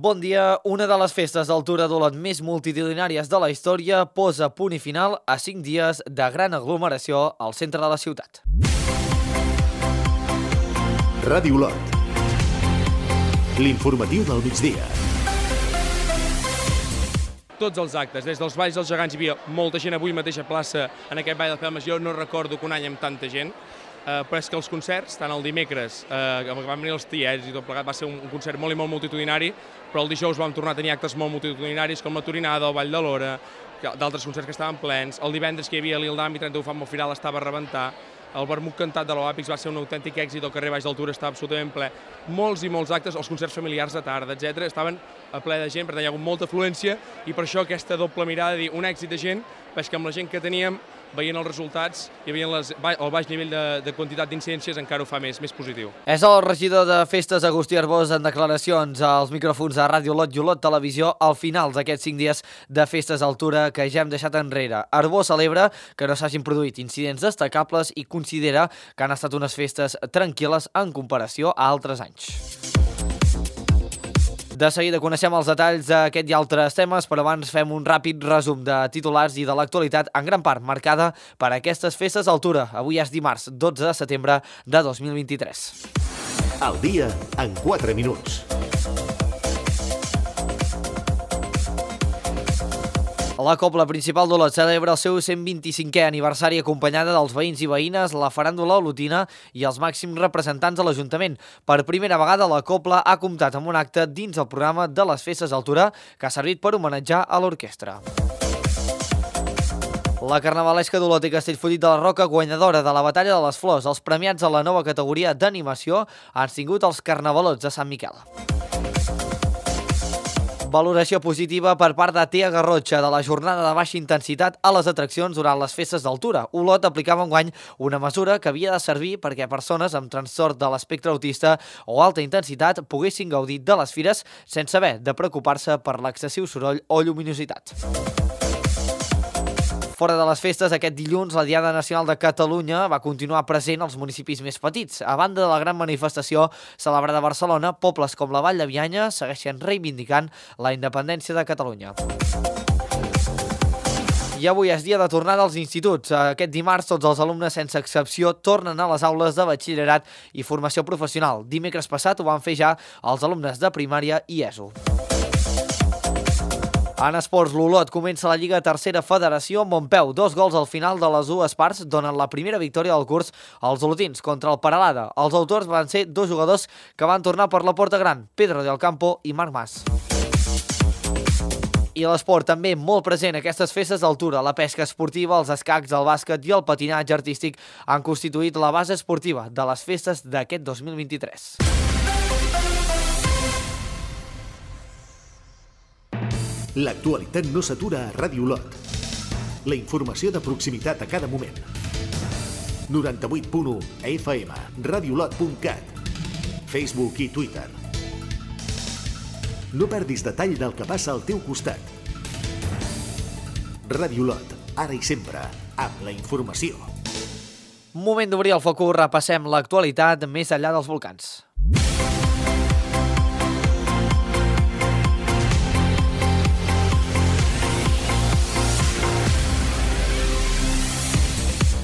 Bon dia. Una de les festes d'altura d'Olot més multitudinàries de la història posa punt i final a 5 dies de gran aglomeració al centre de la ciutat. Ràdio Olot. L'informatiu del migdia. Tots els actes, des dels Valls dels Gegants hi havia molta gent avui mateix a plaça en aquest Ball de Pelmes. Jo no recordo que un any amb tanta gent, però és que els concerts, tant el dimecres, que van venir els tiets i tot plegat, va ser un concert molt i molt multitudinari, però el dijous vam tornar a tenir actes molt multitudinaris com la Torinada, el Ball de l'Hora, d'altres concerts que estaven plens. El divendres que hi havia l'Ildam i 31 Fam Firal estava a rebentar. El vermut cantat de l'Oàpix va ser un autèntic èxit, el carrer Baix d'Altura estava absolutament ple. Molts i molts actes, els concerts familiars de tarda, etc. estaven a ple de gent, per tant hi ha hagut molta afluència i per això aquesta doble mirada de dir un èxit de gent, però és que amb la gent que teníem, veient els resultats i veient el baix nivell de quantitat d'incidències encara ho fa més positiu. És el regidor de Festes, Agustí Arbós, en declaracions als micròfons de Ràdio Olot i Olot Televisió al final d'aquests 5 dies de festes d'altura que ja hem deixat enrere. Arbós celebra que no s'hagin produït incidents destacables i considera que han estat unes festes tranquil·les en comparació a altres anys. De seguida coneixem els detalls d'aquest i altres temes, però abans fem un ràpid resum de titulars i de l'actualitat, en gran part marcada per aquestes festes d'altura. Avui és dimarts, 12 de setembre de 2023. El dia en 4 minuts. La Cobla Principal d'Olot celebra el seu 125è aniversari acompanyada dels veïns i veïnes, la faràndula olotina i els màxims representants de l'Ajuntament. Per primera vegada la Cobla ha comptat amb un acte dins el programa de les festes d'altura que ha servit per homenatjar a l'orquestra. La carnavalesca d'Olot i Castellfollit de la Roca, guanyadora de la Batalla de les Flors, els premiats a la nova categoria d'animació, han tingut els carnavalots de Sant Miquel. Valoració positiva per part de Tea Garrotxa de la jornada de baixa intensitat a les atraccions durant les festes d'altura. Olot aplicava enguany una mesura que havia de servir perquè persones amb trastorn de l'espectre autista o alta intensitat poguessin gaudir de les fires sense haver de preocupar-se per l'excessiu soroll o lluminositat. Fora de les festes, aquest dilluns, la Diada Nacional de Catalunya va continuar present als municipis més petits. A banda de la gran manifestació celebrada a Barcelona, pobles com la Vall de Bianya segueixen reivindicant la independència de Catalunya. I avui és dia de tornada als instituts. Aquest dimarts, tots els alumnes, sense excepció, tornen a les aules de batxillerat i formació professional. Dimecres passat ho van fer ja els alumnes de primària i ESO. En esports, l'Olot comença la Lliga Tercera Federació amb Montpeu. 2 gols al final de les dues parts donen la primera victòria del curs als olotins contra el Peralada. Els autors van ser 2 jugadors que van tornar per la porta gran, Pedro del Campo i Marc Mas. I l'esport també molt present a aquestes festes d'altura. La pesca esportiva, els escacs, el bàsquet i el patinatge artístic han constituït la base esportiva de les festes d'aquest 2023. L'actualitat no s'atura a Ràdio Olot. La informació de proximitat a cada moment. 98.1 FM, radiolot.cat, Facebook i Twitter. No perdis detall del que passa al teu costat. Ràdio Olot, ara i sempre, amb la informació. Moment d'obrir el focus, repassem l'actualitat més enllà dels volcans.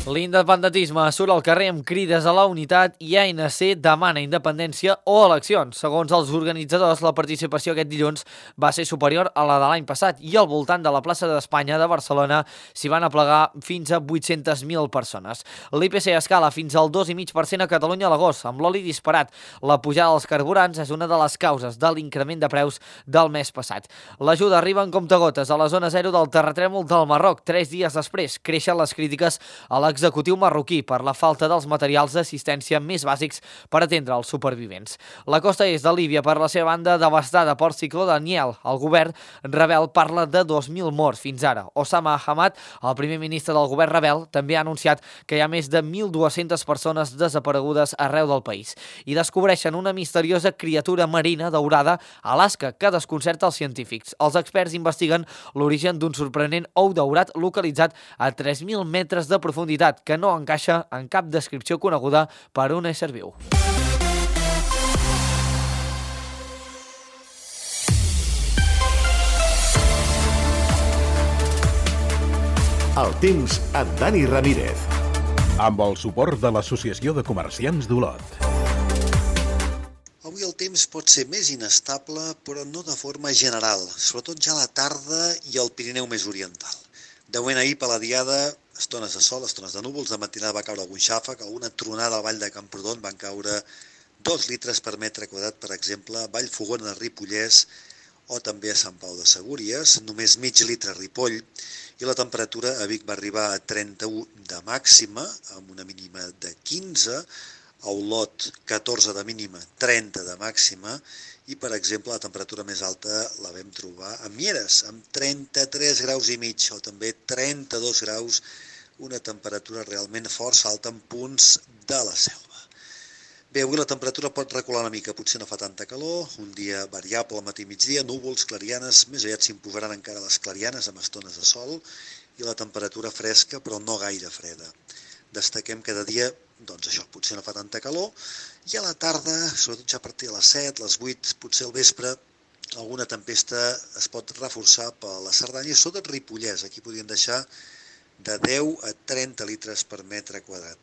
L'independentisme surt al carrer amb crides a la unitat i ANC demana independència o eleccions. Segons els organitzadors, la participació aquest dilluns va ser superior a la de l'any passat i al voltant de la plaça d'Espanya de Barcelona s'hi van aplegar fins a 800.000 persones. L'IPC escala fins al 2,5% a Catalunya a l'agost, amb l'oli disparat. La pujada dels carburants és una de les causes de l'increment de preus del mes passat. L'ajuda arriba en comptagotes a la zona zero del terratrèmol del Marroc. 3 dies després creixen les crítiques a l'executiu marroquí per la falta dels materials d'assistència més bàsics per atendre els supervivents. La costa est de Líbia, per la seva banda, devastada pel cicló Daniel. El govern rebel parla de 2.000 morts fins ara. Osama Hamad, el primer ministre del govern rebel, també ha anunciat que hi ha més de 1.200 persones desaparegudes arreu del país. I descobreixen una misteriosa criatura marina daurada a Alaska que desconcerta els científics. Els experts investiguen l'origen d'un sorprenent ou daurat localitzat a 3.000 metres de profunditat, que no encaixa en cap descripció coneguda per un ésser viu. El temps amb Dani Ramírez. Amb el suport de l'Associació de Comerciants d'Olot. Avui el temps pot ser més inestable, però no de forma general, sobretot ja a la tarda i al Pirineu més oriental. De moment ahir per la diada, estones de sol, estones de núvols, de matinada va caure algun xàfec, alguna tronada al Vall de Camprodon, van caure 2 litres per metre quadrat, per exemple, a Vallfogona de Ripollès o també a Sant Pau de Segúries, només mig litre a Ripoll, i la temperatura a Vic va arribar a 31 de màxima, amb una mínima de 15, a Olot 14 de mínima, 30 de màxima, i per exemple la temperatura més alta la vam trobar a Mieres, amb 33 graus i mig, o també 32 graus, una temperatura realment força alta en punts de la selva. Bé, avui la temperatura pot recular una mica, potser no fa tanta calor, un dia variable al matí i migdia, núvols, clarianes, més aviat s'imposaran encara les clarianes amb estones de sol i la temperatura fresca però no gaire freda. Destaquem que de dia, doncs això, potser no fa tanta calor i a la tarda, sobretot ja a partir de les 7, les 8, potser al vespre, alguna tempesta es pot reforçar per la Cerdanya i sobretot Ripollès, aquí podrien deixar de 10 a 30 litres per metre quadrat.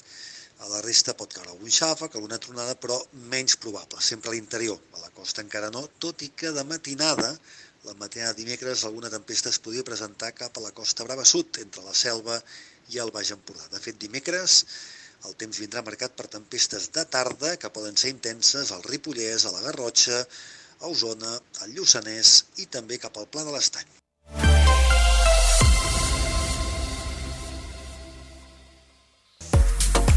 A la resta pot caure algun xàfec, alguna tronada, però menys probable, sempre a l'interior. A la costa encara no, tot i que de matinada, la matinada de dimecres, alguna tempesta es podria presentar cap a la Costa Brava Sud, entre la Selva i el Baix Empordà. De fet, dimecres el temps vindrà marcat per tempestes de tarda, que poden ser intenses al Ripollès, a la Garrotxa, a Osona, al Lluçanès i també cap al Pla de l'Estany.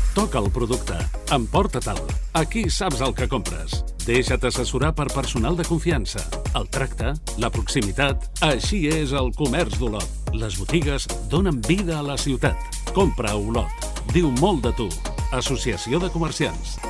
Toca el producte. Emporta-te'l. Aquí saps el que compres. Deixa't assessorar per personal de confiança. El tracte, la proximitat... Així és el comerç d'Olot. Les botigues donen vida a la ciutat. Compra a Olot. Diu molt de tu. Associació de Comerciants.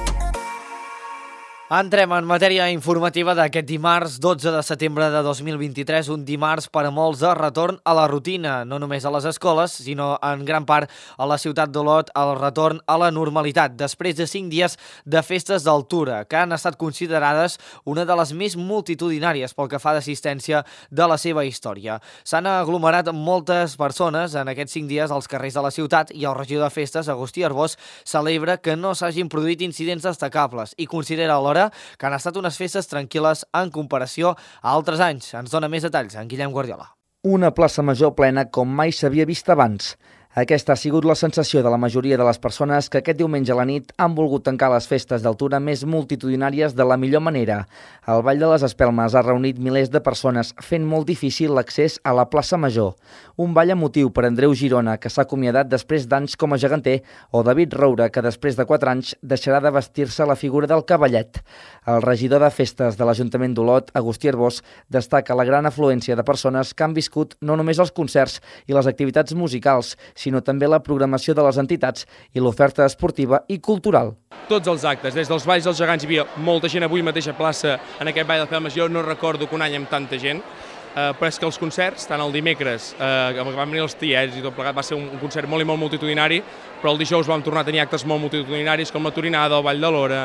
Entrem en matèria informativa d'aquest dimarts 12 de setembre de 2023, un dimarts per a molts de retorn a la rutina, no només a les escoles, sinó en gran part a la ciutat d'Olot, el retorn a la normalitat, després de 5 dies de festes d'altura, que han estat considerades una de les més multitudinàries pel que fa d'assistència de la seva història. S'han aglomerat moltes persones en aquests 5 dies als carrers de la ciutat i el regidor de festes, Agustí Arbós, celebra que no s'hagin produït incidents destacables i considera alhora que han estat unes festes tranquil·les en comparació a altres anys. Ens dona més detalls en Guillem Guardiola. Una plaça major plena com mai s'havia vist abans. Aquesta ha sigut la sensació de la majoria de les persones que aquest diumenge a la nit han volgut tancar les festes d'altura més multitudinàries de la millor manera. El Ball de les Espelmes ha reunit milers de persones, fent molt difícil l'accés a la plaça Major. Un ball emotiu per Andreu Girona, que s'ha acomiadat després d'anys com a geganter, o David Roura, que després de 4 anys deixarà de vestir-se la figura del cavallet. El regidor de festes de l'Ajuntament d'Olot, Agustí Arbós, destaca la gran afluència de persones que han viscut no només els concerts i les activitats musicals, sinó també la programació de les entitats i l'oferta esportiva i cultural. Tots els actes, des dels Valls dels Gegants hi havia molta gent avui mateixa plaça en aquest Ball de Pelmes, jo no recordo que un any amb tanta gent, però és que els concerts, tant el dimecres, que van venir els tiets i tot plegat, va ser un concert molt i molt multitudinari, però el dijous vam tornar a tenir actes molt multitudinaris com la Torinada, el Ball de l'Hora,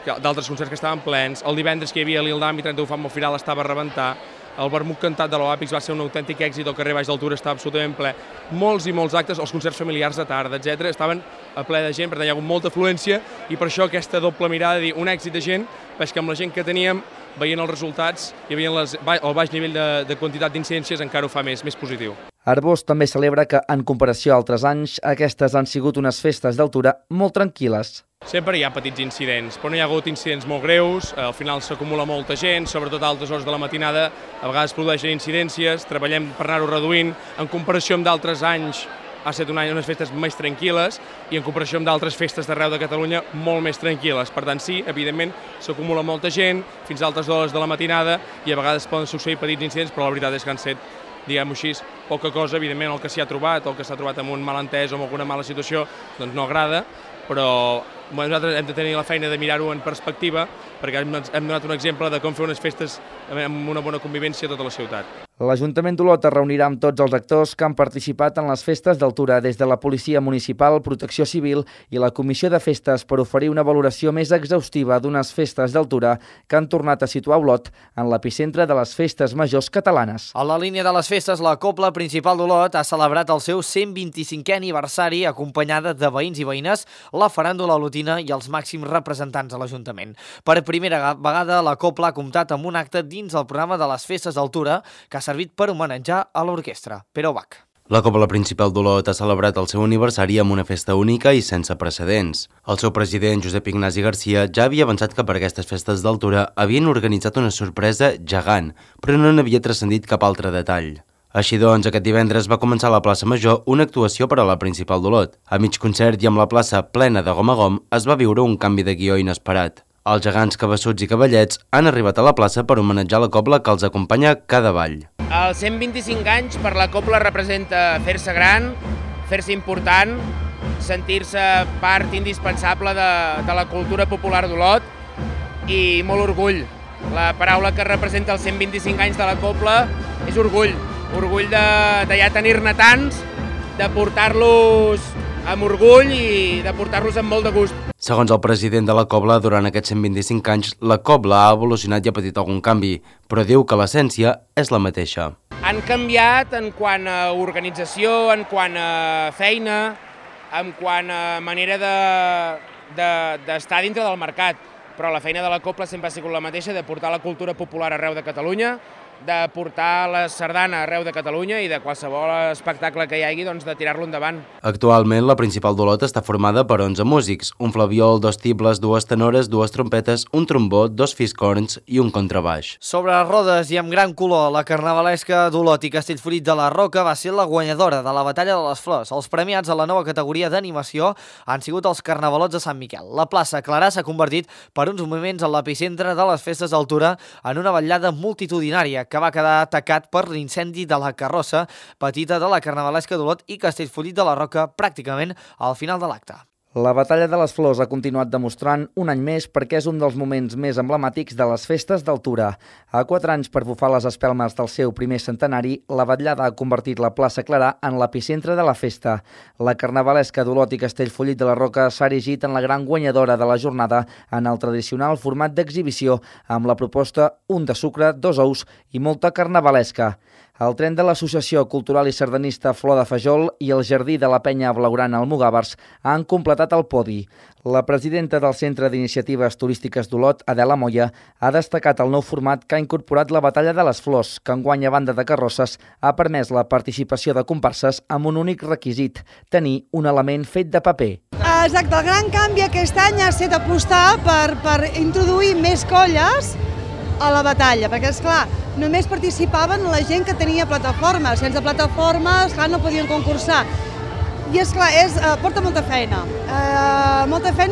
d'altres concerts que estaven plens, el divendres que hi havia l'Ildam i 31 Fam al final estava a rebentar, el vermut cantat de l'Oàpix va ser un autèntic èxit, el carrer Baix d'Altura estava absolutament ple, molts i molts actes, els concerts familiars de tarda, etc. estaven a ple de gent, per tant hi ha hagut molta afluència i per això aquesta doble mirada de dir un èxit de gent, és que amb la gent que teníem, veient els resultats i veient el baix nivell de quantitat d'incidències encara ho fa més positiu. Arbós també celebra que, en comparació a altres anys, aquestes han sigut unes festes d'altura molt tranquil·les. Sempre hi ha petits incidents, però no hi ha hagut incidents molt greus, al final s'acumula molta gent, sobretot a altes hores de la matinada, a vegades produeixen incidències, treballem per anar-ho reduint, en comparació amb d'altres anys ha estat un any unes festes més tranquil·les i en comparació amb d'altres festes d'arreu de Catalunya molt més tranquil·les. Per tant, sí, evidentment, s'acumula molta gent fins a altes hores de la matinada i a vegades poden succeir petits incidents, però la veritat és que han set, diguem-ho així, poca cosa. Evidentment, el que s'hi ha trobat o el que s'ha trobat amb un malentès o amb alguna mala situació, doncs no agrada, però nosaltres hem de tenir la feina de mirar-ho en perspectiva, perquè hem donat un exemple de com fer unes festes amb una bona convivència a tota la ciutat. L'Ajuntament d'Olot es reunirà amb tots els actors que han participat en les festes d'altura, des de la Policia Municipal, Protecció Civil i la Comissió de Festes, per oferir una valoració més exhaustiva d'unes festes d'altura que han tornat a situar Olot en l'epicentre de les festes majors catalanes. A la línia de les festes, la Cobla Principal d'Olot ha celebrat el seu 125è aniversari acompanyada de veïns i veïnes, la faràndula olotina i els màxims representants de l'Ajuntament. Per primera vegada, la Cobla ha comptat amb un acte dins el programa de les festes d'altura que ha servit per homenatjar a l'orquestra. Pere Bach. La Cobla Principal d'Olot ha celebrat el seu aniversari amb una festa única i sense precedents. El seu president, Josep Ignasi Garcia, ja havia avançat que per aquestes festes d'altura havien organitzat una sorpresa gegant, però no n'havia transcendit cap altre detall. Així doncs, aquest divendres va començar a la plaça Major una actuació per a la Principal d'Olot. A mig concert i amb la plaça plena de gom a gom es va viure un canvi de guió inesperat. Els gegants cabassuts i cavallets han arribat a la plaça per homenatjar la cobla que els acompanya cada ball. Els 125 anys per la cobla representa fer-se gran, fer-se important, sentir-se part indispensable de la cultura popular d'Olot i molt orgull. La paraula que representa els 125 anys de la cobla és orgull. Orgull de ja tenir-ne tants, de portar-los amb orgull i de portar-los amb molt de gust. Segons el president de la Cobla, durant aquests 125 anys, la Cobla ha evolucionat i ha patit algun canvi, però diu que l'essència és la mateixa. Han canviat en quant a organització, en quant a feina, en quant a manera d'estar dintre del mercat, però la feina de la Cobla sempre ha sigut la mateixa, de portar la cultura popular arreu de Catalunya, de portar la sardana arreu de Catalunya i de qualsevol espectacle que hi hagi, doncs, de tirar-lo endavant. Actualment, la Principal d'Olot està formada per 11 músics, un flabiol, 2 tibles, 2 tenores, 2 trompetes, un trombó, 2 fiscorns i un contrabaix. Sobre rodes i amb gran color, la carnavalesca d'Olot i Castellfollit de la Roca va ser la guanyadora de la Batalla de les Flors. Els premiats a la nova categoria d'animació han sigut els carnavalots de Sant Miquel. La plaça Clarà s'ha convertit per uns moments en l'epicentre de les festes d'altura en una vetllada multitudinària que va quedar atacat per l'incendi de la carrossa petita de la carnavalesca d'Olot i Castellfollit de la Roca pràcticament al final de l'acte. La Batalla de les Flors ha continuat demostrant un any més perquè és un dels moments més emblemàtics de les festes d'altura. A 4 anys per bufar les espelmes del seu primer centenari, la vetllada ha convertit la plaça Clarà en l'epicentre de la festa. La carnavalesca d'Olot i Castellfollit de la Roca s'ha erigit en la gran guanyadora de la jornada en el tradicional format d'exhibició, amb la proposta un de sucre, 2 ous i molta carnavalesca. El tren de l'Associació Cultural i Sardanista Flor de Fajol i el Jardí de la Penya Blaugrana Almogàvers han completat el podi. La presidenta del Centre d'Iniciatives Turístiques d'Olot, Adela Moya, ha destacat el nou format que ha incorporat la Batalla de les Flors, que enguany a banda de carrosses ha permès la participació de comparses amb un únic requisit, tenir un element fet de paper. Exacte, el gran canvi aquest any ha estat apostar per introduir més colles a la batalla, perquè, esclar, només participaven la gent que tenia plataformes. Sense plataformes, esclar, no podien concursar. I, esclar, porta molta feina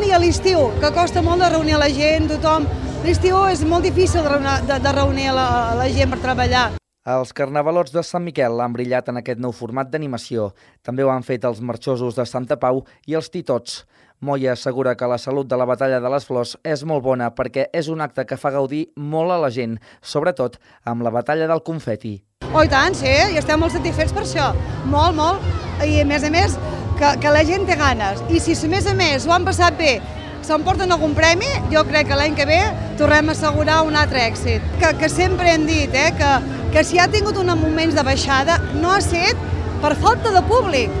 i a l'estiu, que costa molt de reunir la gent, tothom. L'estiu és molt difícil de reunir la gent per treballar. Els carnavalots de Sant Miquel han brillat en aquest nou format d'animació. També ho han fet els marxosos de Santa Pau i els titots. Moya assegura que la salut de la Batalla de les Flors és molt bona perquè és un acte que fa gaudir molt a la gent, sobretot amb la Batalla del Confeti. Oh, i tant, sí, i estem molt satisfets per això. Molt, molt. I a més, que la gent té ganes. I si a més ho han passat bé, s'emporten algun premi, jo crec que l'any que ve tornem a assegurar un altre èxit. Que sempre hem dit que si ha tingut uns moments de baixada no ha estat per falta de públic,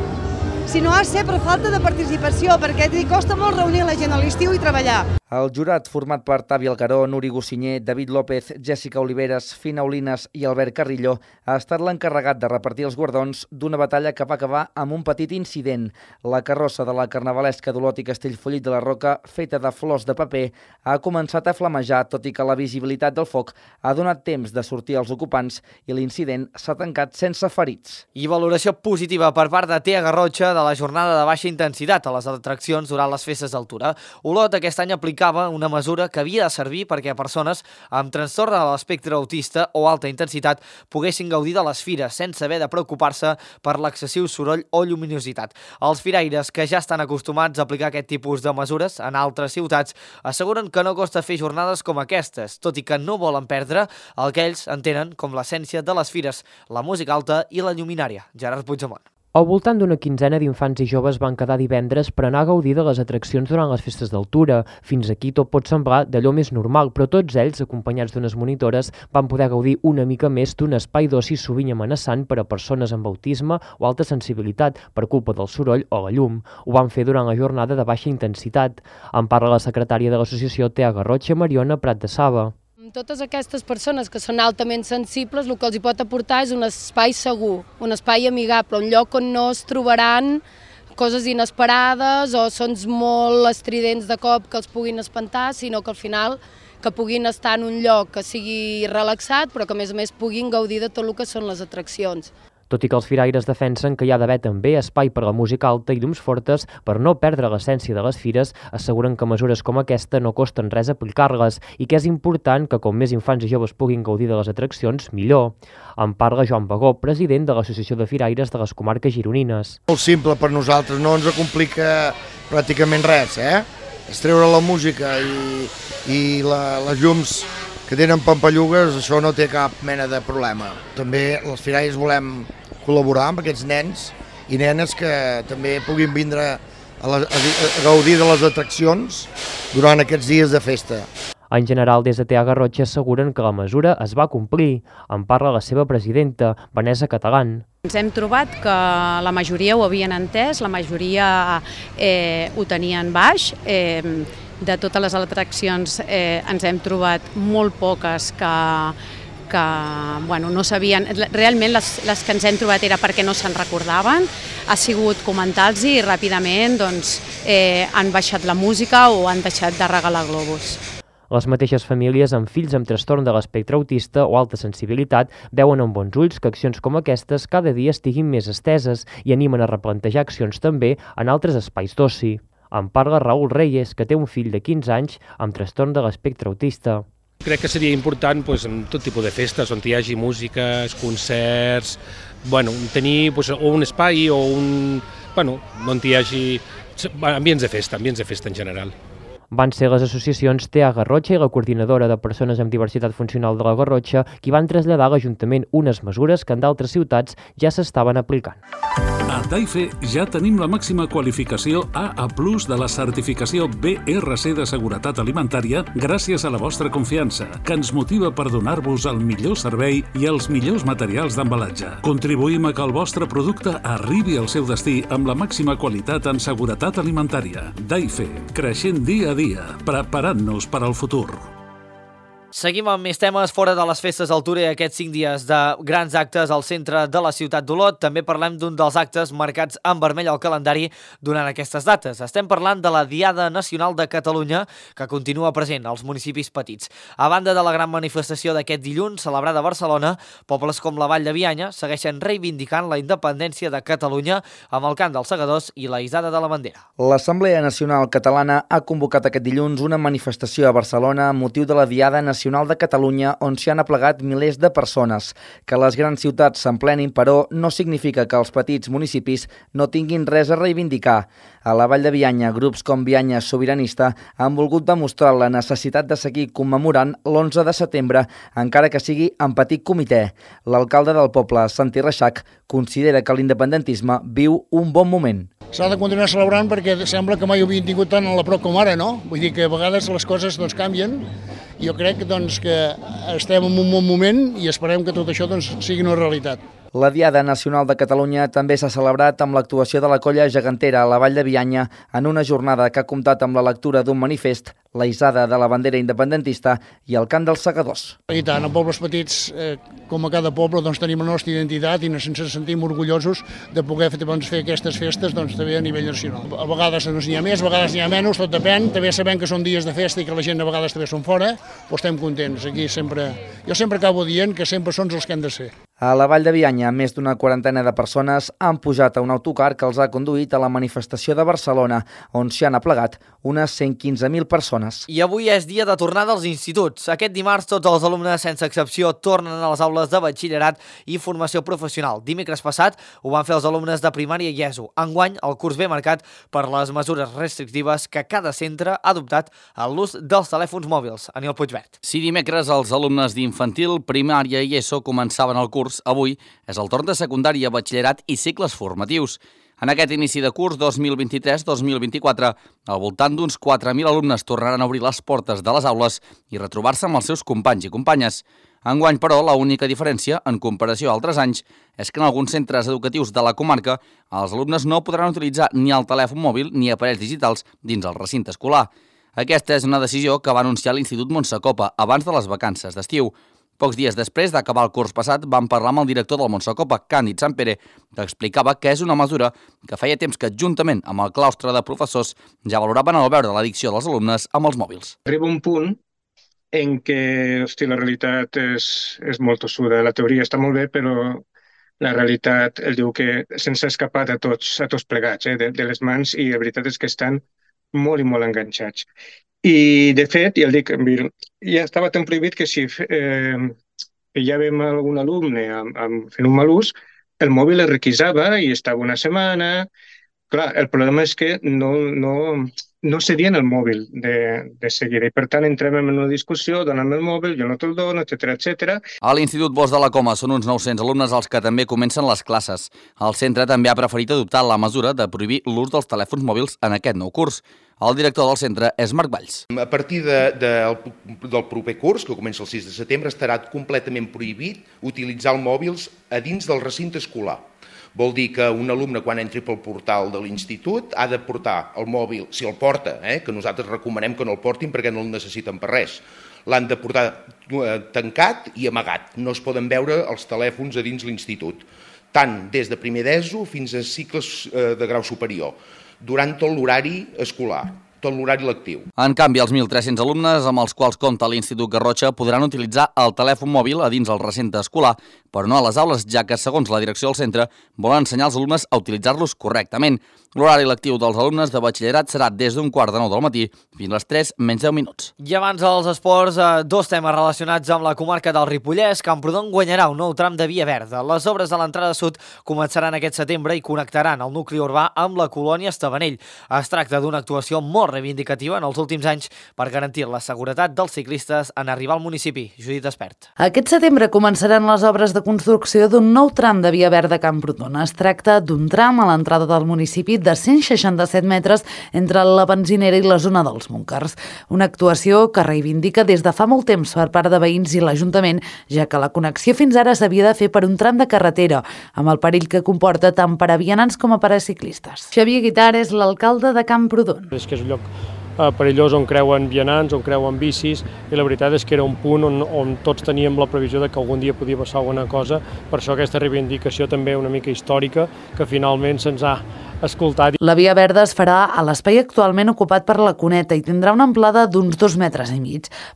sinó ha estat per falta de participació, perquè costa molt reunir la gent a l'estiu i treballar. El jurat, format per Tavi Alcaró, Nuri Gossinyer, David López, Jèssica Oliveres, Fina Olines i Albert Carrillo, ha estat l'encarregat de repartir els guardons d'una batalla que va acabar amb un petit incident. La carrossa de la carnavalesca d'Olot i Castellfollit de la Roca, feta de flors de paper, ha començat a flamejar, tot i que la visibilitat del foc ha donat temps de sortir als ocupants i l'incident s'ha tancat sense ferits. I valoració positiva per part de Tea Garrotxa, de la jornada de baixa intensitat a les atraccions durant les festes d'altura. Olot aquest any aplicava una mesura que havia de servir perquè persones amb trastorn de l'espectre autista o alta intensitat poguessin gaudir de les fires sense haver de preocupar-se per l'excessiu soroll o lluminositat. Els firaires, que ja estan acostumats a aplicar aquest tipus de mesures en altres ciutats, asseguren que no costa fer jornades com aquestes, tot i que no volen perdre el que ells entenen com l'essència de les fires, la música alta i la lluminària. Gerard Puigdemont. Al voltant d'una quinzena d'infants i joves van quedar divendres per anar a gaudir de les atraccions durant les festes d'altura. Fins aquí tot pot semblar d'allò més normal, però tots ells, acompanyats d'unes monitores, van poder gaudir una mica més d'un espai d'oci sovint amenaçant per a persones amb autisme o alta sensibilitat per culpa del soroll o la llum. Ho van fer durant la jornada de baixa intensitat. En parla la secretària de l'associació Tea Garrotxa, Mariona Prat de Saba. Totes aquestes persones que són altament sensibles, el que els hi pot aportar és un espai segur, un espai amigable, un lloc on no es trobaran coses inesperades o sons molt estridents de cop que els puguin espantar, sinó que al final que puguin estar en un lloc que sigui relaxat, però que a més puguin gaudir de tot el que són les atraccions. Tot i que els firaires defensen que hi ha d'haver també espai per a la música alta i llums fortes per no perdre l'essència de les fires, asseguren que mesures com aquesta no costen res aplicar-les i que és important que com més infants i joves puguin gaudir de les atraccions, millor. En parla Joan Bagó, president de l'Associació de Firaires de les Comarques Gironines. Molt simple per nosaltres, no ens complica pràcticament res, És treure la música i les llums que tenen pampallugues, això no té cap mena de problema. També els firaires volem col·laborar amb aquests nens i nenes que també puguin vindre a gaudir de les atraccions durant aquests dies de festa. En general, des de Tea Garrotxa asseguren que la mesura es va complir. En parla la seva presidenta, Vanessa Catalán. Ens hem trobat que la majoria ho havien entès, la majoria ho tenien baix. De totes les atraccions ens hem trobat molt poques que no sabien, realment les que ens hem trobat era perquè no se'n recordaven, ha sigut comentar-los i ràpidament han baixat la música o han deixat de regalar globus. Les mateixes famílies amb fills amb trastorn de l'espectre autista o alta sensibilitat veuen amb bons ulls que accions com aquestes cada dia estiguin més esteses i animen a replantejar accions també en altres espais d'oci. En parla Raül Reyes, que té un fill de 15 anys amb trastorn de l'espectre autista. Crec que seria important en tot tipus de festes on hi hagi músiques, concerts, tenir un espai o on hi hagi ambients de festa en general. Van ser les associacions Tea Garrotxa i la coordinadora de persones amb diversitat funcional de la Garrotxa qui van traslladar a l'Ajuntament unes mesures que en d'altres ciutats ja s'estaven aplicant. A Daife ja tenim la màxima qualificació AA+ de la certificació BRC de seguretat alimentària gràcies a la vostra confiança, que ens motiva per donar-vos el millor servei i els millors materials d'embalatge. Contribuïm a que el vostre producte arribi al seu destí amb la màxima qualitat en seguretat alimentària. Daife, creixent dia a dia, preparant-nos per al futur. Seguim amb més temes fora de les festes d'altura i aquests 5 dies de grans actes al centre de la ciutat d'Olot. També parlem d'un dels actes marcats en vermell al calendari durant aquestes dates. Estem parlant de la Diada Nacional de Catalunya, que continua present als municipis petits. A banda de la gran manifestació d'aquest dilluns, celebrada a Barcelona, pobles com la Vall de Bianya segueixen reivindicant la independència de Catalunya amb el cant dels segadors i la hissada de la bandera. L'Assemblea Nacional Catalana ha convocat aquest dilluns una manifestació a Barcelona amb motiu de la Diada Nacional de Catalunya, on s'hi han aplegat milers de persones. Que les grans ciutats s'emplenin, però, no significa que els petits municipis no tinguin res a reivindicar. A la Vall de Bianya, grups com Bianya Sobiranista han volgut demostrar la necessitat de seguir commemorant l'11 de setembre, encara que sigui en petit comitè. L'alcalde del poble, Santi Reixac, considera que l'independentisme viu un bon moment. S'ha de continuar celebrant perquè sembla que mai ho havien tingut tant a la prop com ara, no? Vull dir que a vegades les coses canvien. Jo crec que estem en un bon moment i esperem que tot això sigui una realitat. La Diada Nacional de Catalunya també s'ha celebrat amb l'actuació de la colla gegantera a la Vall de Bianya en una jornada que ha comptat amb la lectura d'un manifest, la hissada de la bandera independentista i el cant dels segadors. I tant, en pobles petits, com a cada poble, tenim la nostra identitat i ens sentim orgullosos de poder fer aquestes festes també a nivell nacional. A vegades n'hi ha més, a vegades n'hi ha menys, tot depèn. També sabem que són dies de festa i que la gent a vegades també són fora, però estem contents. Aquí jo sempre acabo dient que sempre són els que han de ser. A la Vall de Bianya, més d'una quarantena de persones han pujat a un autocar que els ha conduït a la manifestació de Barcelona, on s'hi han aplegat unes 115.000 persones. I avui és dia de tornada als instituts. Aquest dimarts tots els alumnes, sense excepció, tornen a les aules de batxillerat i formació professional. Dimecres passat ho van fer els alumnes de primària i ESO. Enguany, el curs ve marcat per les mesures restrictives que cada centre ha adoptat a l'ús dels telèfons mòbils. Aniol Puigvert. Si dimecres els alumnes d'infantil, primària i ESO començaven el curs, avui és el torn de secundària, batxillerat i cicles formatius. En aquest inici de curs 2023-2024, al voltant d'uns 4.000 alumnes tornaran a obrir les portes de les aules i retrobar-se amb els seus companys i companyes. Enguany, però, l'única diferència, en comparació a altres anys, és que en alguns centres educatius de la comarca els alumnes no podran utilitzar ni el telèfon mòbil ni aparells digitals dins el recinte escolar. Aquesta és una decisió que va anunciar l'Institut Montsacopa abans de les vacances d'estiu. Pocs dies després d'acabar el curs passat vam parlar amb el director del Montsacopa, Càndid Sampere, que explicava que és una mesura que feia temps que, juntament amb el claustre de professors, ja valoraven el veure l'addicció dels alumnes amb els mòbils. Arriba un punt en què la realitat és molt tossuda. La teoria està molt bé, però la realitat el diu que se'ns ha escapat a tots plegats de les mans i la veritat és que estan molt i molt enganxats. I, de fet, ja el dic, ja estava tan prohibit que si ja veiem algun alumne fent un mal ús, el mòbil es requisava i estava una setmana. Clar, el problema és que no cedien el mòbil de seguida i, per tant, entrem en una discussió, dona'm el mòbil, jo no te'l dono, etcètera. A l'Institut Bosch de la Coma són uns 900 alumnes els que també comencen les classes. El centre també ha preferit adoptar la mesura de prohibir l'ús dels telèfons mòbils en aquest nou curs. El director del centre és Marc Valls. A partir del proper curs, que comença el 6 de setembre, estarà completament prohibit utilitzar els mòbils a dins del recinte escolar. Vol dir que un alumne, quan entri pel portal de l'institut, ha de portar el mòbil, si el porta, que nosaltres recomanem que no el portin perquè no el necessiten per res. L'han de portar tancat i amagat. No es poden veure els telèfons a dins l'institut, tant des de primer d'ESO fins a cicles de grau superior, durant tot l'horari escolar, tot l'horari lectiu. En canvi, els 1.300 alumnes amb els quals compta l'Institut Garrotxa podran utilitzar el telèfon mòbil a dins el recinte escolar, però no a les aules, ja que, segons la direcció del centre, volen ensenyar als alumnes a utilitzar-los correctament. L'horari lectiu dels alumnes de batxillerat serà des d'un 8:45 del matí fins a les 3 menys 10 minuts. I abans dels esports, dos temes relacionats amb la comarca del Ripollès. Camprodon guanyarà un nou tram de via verda. Les obres de l'entrada sud començaran aquest setembre i connectaran el nucli urbà amb la colònia Estavanell. Es tracta d'una actuació molt reivindicativa en els últims anys per garantir la seguretat dels ciclistes en arribar al municipi. Judit Espert. Aquest setembre començaran les obres de construcció d'un nou tram de via verda a Camprodon. Es tracta d'un tram a l'entrada del municipi de 167 metres entre la benzinera i la zona dels búnquers. Una actuació que reivindica des de fa molt temps per part de veïns i l'Ajuntament, ja que la connexió fins ara s'havia de fer per un tram de carretera, amb el perill que comporta tant per a vianants com a per a ciclistes. Xavier Guitar és l'alcalde de Camprodon. És que és un lloc perillós on creuen vianants, on creuen bicis, i la veritat és que era un punt on tots teníem la previsió de que algun dia podia passar alguna cosa. Per això aquesta reivindicació també una mica històrica, que finalment se'ns ha escoltat. La via verda es farà a l'espai actualment ocupat per la Cuneta i tindrà una amplada d'uns 2,5 metres.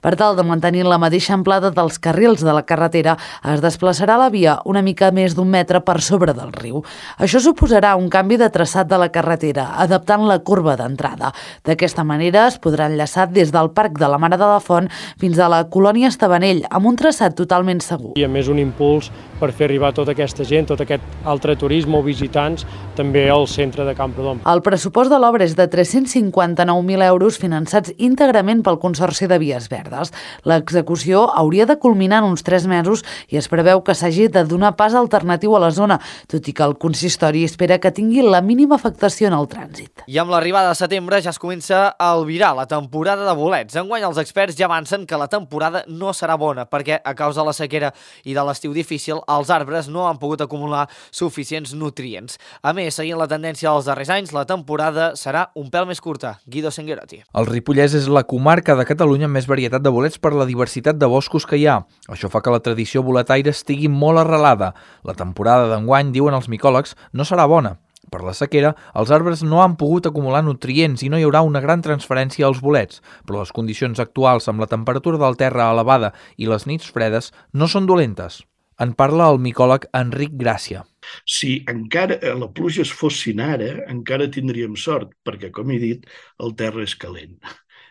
Per tal de mantenir la mateixa amplada dels carrils de la carretera, es desplaçarà la via una mica més d'1 metre per sobre del riu. Això suposarà un canvi de traçat de la carretera, adaptant la curva d'entrada. D'aquesta manera es podrà enllaçar des del Parc de la Mare de la Font fins a la colònia Estavanell, amb un traçat totalment segur. I a més un impuls per fer arribar tota aquesta gent, tot aquest altre turisme o visitants, també al centre de Camprodon. El pressupost de l'obra és de 359.000 euros finançats íntegrament pel Consorci de Vies Verdes. L'execució hauria de culminar en uns 3 mesos i es preveu que s'hagi de donar pas alternatiu a la zona, tot i que el consistori espera que tingui la mínima afectació en el trànsit. I amb l'arribada de setembre ja es comença a albirar la temporada de bolets. Enguany els experts ja avancen que la temporada no serà bona perquè, a causa de la sequera i de l'estiu difícil, els arbres no han pogut acumular suficients nutrients. A més, seguint la tendència dels darrers anys, la temporada serà un pèl més curta. Guido Senguerotti. El Ripollès és la comarca de Catalunya amb més varietat de bolets per la diversitat de boscos que hi ha. Això fa que la tradició boletaire estigui molt arrelada. La temporada d'enguany, diuen els micòlegs, no serà bona. Per la sequera, els arbres no han pogut acumular nutrients i no hi haurà una gran transferència als bolets, però les condicions actuals amb la temperatura del terra elevada i les nits fredes no són dolentes. En parla el micòleg Enric Gràcia. Si encara la pluja es fossin ara, encara tindríem sort, perquè, com he dit, el terra és calent.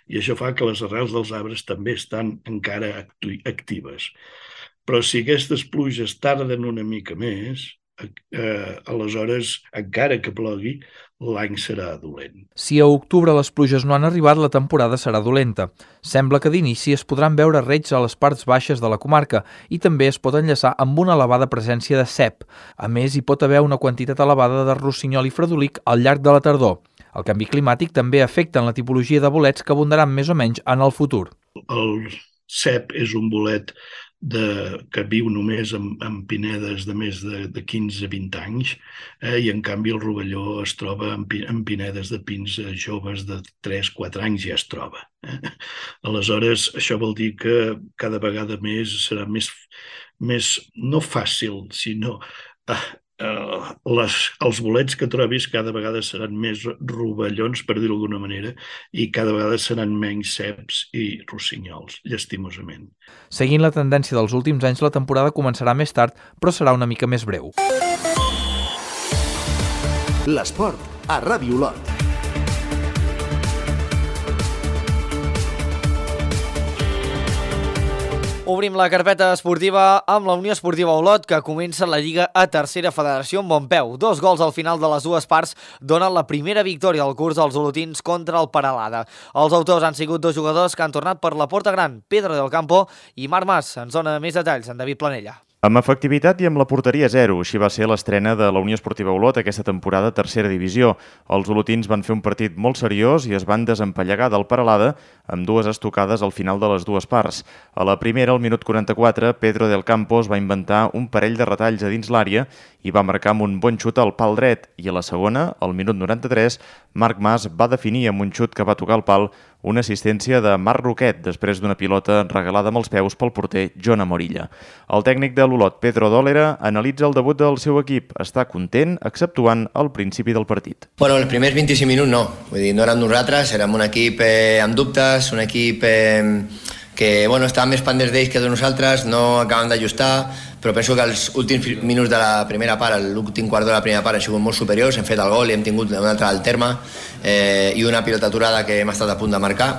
I això fa que les arrels dels arbres també estan encara actives. Però si aquestes pluges tarden una mica més, aleshores, encara que plogui, l'any serà dolent. Si a octubre les pluges no han arribat, la temporada serà dolenta. Sembla que d'inici es podran veure reigs a les parts baixes de la comarca i també es pot enllaçar amb una elevada presència de cep. A més, hi pot haver una quantitat elevada de rossinyol i fredolic al llarg de la tardor. El canvi climàtic també afecta en la tipologia de bolets que abundaran més o menys en el futur. El cep és un bolet que viu només en pinedes de més de 15-20 anys i en canvi el rovelló es troba en pinedes de pins joves de 3-4 anys ja es troba. Aleshores, això vol dir que cada vegada més serà més no fàcil, sinó els bolets que trobis cada vegada seran més rovellons, per dir-ho d'alguna manera, i cada vegada seran menys ceps i rossinyols, llastimosament. Seguint la tendència dels últims anys, la temporada començarà més tard, però serà una mica més breu. L'esport a Ràdio Olot. Obrim la carpeta esportiva amb la Unió Esportiva Olot, que comença la Lliga a tercera federació amb bon peu. 2 gols al final de les dues parts donen la primera victòria al curs dels olotins contra el Peralada. Els autors han sigut 2 jugadors que han tornat per la porta gran, Pedro del Campo i Marc Mas. Ens dona més detalls en David Planella. Amb efectivitat i amb la porteria 0, així va ser l'estrena de la Unió Esportiva Olot aquesta temporada a tercera divisió. Els olotins van fer un partit molt seriós i es van desempallegar del Peralada amb 2 estocades al final de les dues parts. A la primera, al minut 44, Pedro del Campo va inventar un parell de retalls a dins l'àrea i va marcar amb un bon xut al pal dret. I a la segona, al minut 93, Marc Mas va definir amb un xut que va tocar el pal una assistència de Marc Roquet després d'una pilota regalada amb els peus pel porter Jon Amorilla. El tècnic de l'Olot, Pedro Dólera, analitza el debut del seu equip. Està content, exceptuant el principi del partit. Bueno, els primers 25 minuts no. Vull dir, no érem nosaltres, érem un equip amb dubtes, un equip que estava més pendents d'ells que de nosaltres, no acabem d'ajustar, però penso que els últims minuts de la primera part, l'últim quart de la primera part, han sigut molt superiors, hem fet el gol i hem tingut un altre al terme i una pilota aturada que hem estat a punt de marcar.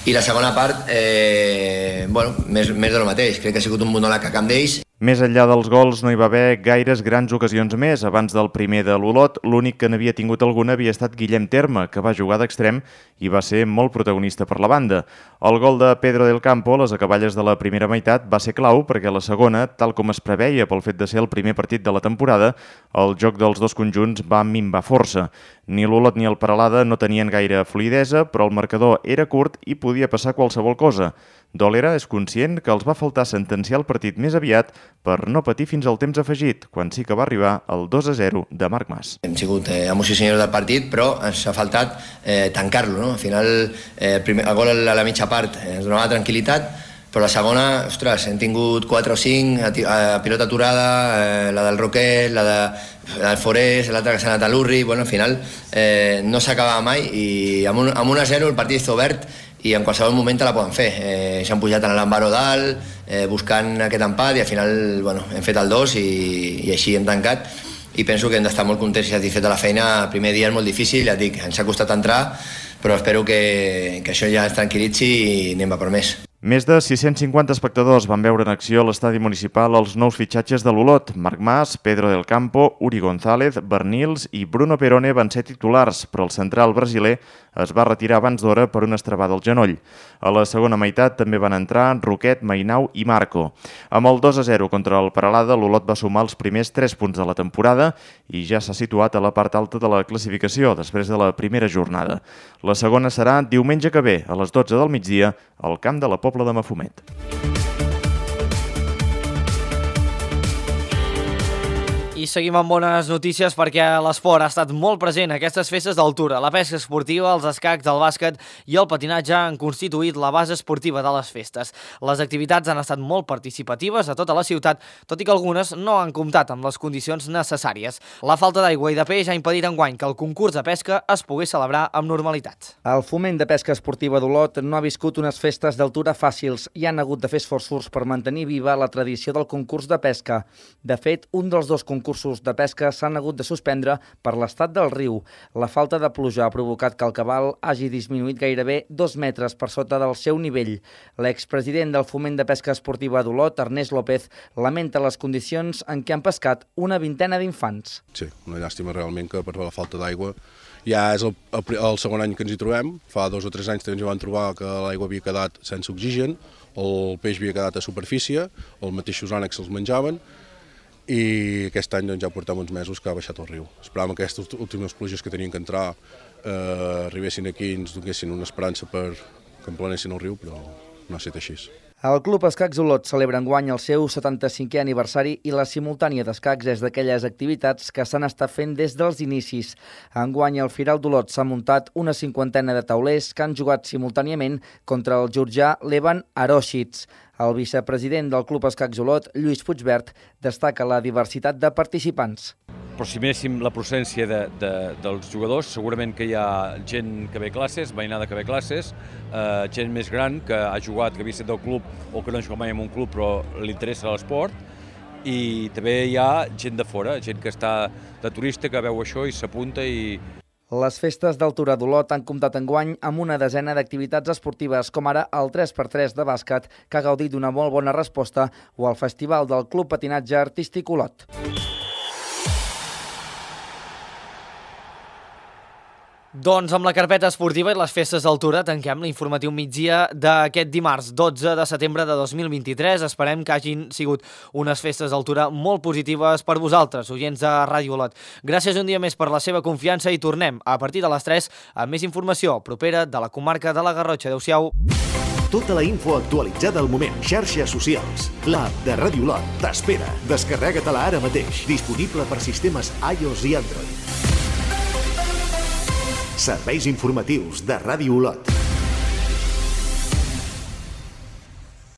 I la segona part, més de lo mateix, crec que ha sigut un monòleg a camp d'ells. Més enllà dels gols no hi va haver gaires grans ocasions més. Abans del primer de l'Olot, l'únic que n'havia tingut alguna havia estat Guillem Terme, que va jugar d'extrem i va ser molt protagonista per la banda. El gol de Pedro del Campo a les acaballes de la primera meitat va ser clau perquè la segona, tal com es preveia pel fet de ser el primer partit de la temporada, el joc dels dos conjunts va minvar força. Ni l'Olot ni el Peralada no tenien gaire fluidesa, però el marcador era curt i podia passar qualsevol cosa. Dólera és conscient que els va faltar sentenciar el partit més aviat per no patir fins al temps afegit, quan sí que va arribar el 2-0 de Marc Mas. Hem sigut amos i senyors del partit, però ens ha faltat tancar-lo. Al final, el gol a la mitja part ens donava tranquil·litat, però la segona, ostres, hem tingut 4 o 5, pilota aturada, la del Roquet, la del Forés, l'altra que s'ha anat a l'Urri, al final no s'acabava mai i amb 1-0 el partit està obert i en qualsevol moment te la poden fer. S'han pujat en l'Ambaro dalt, buscant aquest empat i al final hem fet el 2 i així hem tancat i penso que hem d'estar molt contents i satisfets de la feina. El primer dia és molt difícil, ja et dic, ens ha costat entrar, però espero que això ja ens tranquil·litzi i anem a per més. Més de 650 espectadors van veure en acció a l'estadi municipal els nous fitxatges de l'Olot. Marc Mas, Pedro del Campo, Uri González, Bernils i Bruno Perone van ser titulars, però el central brasiler es va retirar abans d'hora per una estrabada al genoll. A la segona meitat també van entrar Roquet, Mainau i Marco. Amb el 2-0 contra el Peralada, l'Olot va sumar els primers 3 punts de la temporada i ja s'ha situat a la part alta de la classificació després de la primera jornada. La segona serà diumenge que ve, a les 12 del migdia, al camp de la Pobla de Mafumet. I seguim amb bones notícies perquè l'esport ha estat molt present a aquestes festes d'altura. La pesca esportiva, els escacs, el bàsquet i el patinatge han constituït la base esportiva de les festes. Les activitats han estat molt participatives a tota la ciutat, tot i que algunes no han comptat amb les condicions necessàries. La falta d'aigua i de peix ha impedit enguany que el concurs de pesca es pogués celebrar amb normalitat. El Foment de Pesca Esportiva d'Olot no ha viscut unes festes d'altura fàcils i han hagut de fer esforços per mantenir viva la tradició del concurs de pesca. De fet, un dels dos concursos de pesca s'han hagut de suspendre per l'estat del riu. La falta de pluja ha provocat que el cabal hagi disminuït gairebé 2 metres per sota del seu nivell. L'expresident del Foment de Pesca Esportiva d'Olot, Ernest López, lamenta les condicions en què han pescat una vintena d'infants. Sí, una llàstima realment que per la falta d'aigua ja és el segon any que ens hi trobem. Fa 2 o 3 anys també ens van trobar que l'aigua havia quedat sense oxigen, el peix havia quedat a superfície, els mateixos ànecs se'ls menjaven, i aquest any ja portem uns mesos que ha baixat el riu. Esperàvem que aquestes últimes pluges que tenien que entrar arribessin aquí i ens donessin una esperança per que emplenessin el riu, però no ha estat així. El Club Escacs Olot celebra enguany el seu 75è aniversari i la simultània d'escacs és d'aquelles activitats que s'han estat fent des dels inicis. Enguany al Firal d'Olot s'ha muntat una 50ena de taulers que han jugat simultàniament contra el georgià Levan Aroshits. El vicepresident del Club Escacs Olot, Lluís Puigbert, destaca la diversitat de participants. Però si miréssim la procedència dels jugadors, segurament que hi ha gent que ve a classes, veïnada que ve a classes, gent més gran que ha jugat, que havia estat del club o que no ha jugat mai en un club però li interessa l'esport, i també hi ha gent de fora, gent que està de turista, que veu això i s'apunta i... Les festes d'altura d'Olot han comptat enguany amb una desena d'activitats esportives, com ara el 3x3 de bàsquet, que ha gaudit d'una molt bona resposta, o el Festival del Club Patinatge Artístic Olot. Doncs amb la carpeta esportiva i les festes d'altura tanquem l'informatiu migdia d'aquest dimarts 12 de setembre de 2023. Esperem que hagin sigut unes festes d'altura molt positives per vosaltres, oients de Ràdio Olot. Gràcies un dia més per la seva confiança i tornem a partir de les 3 amb més informació propera de la comarca de la Garrotxa. Adéu-siau. Tota la info actualitzada al moment. Xarxes socials. L'app de Ràdio Olot t'espera. Descarrega-te-la ara mateix. Disponible per sistemes iOS i Android. Serveis informatius de Ràdio Olot.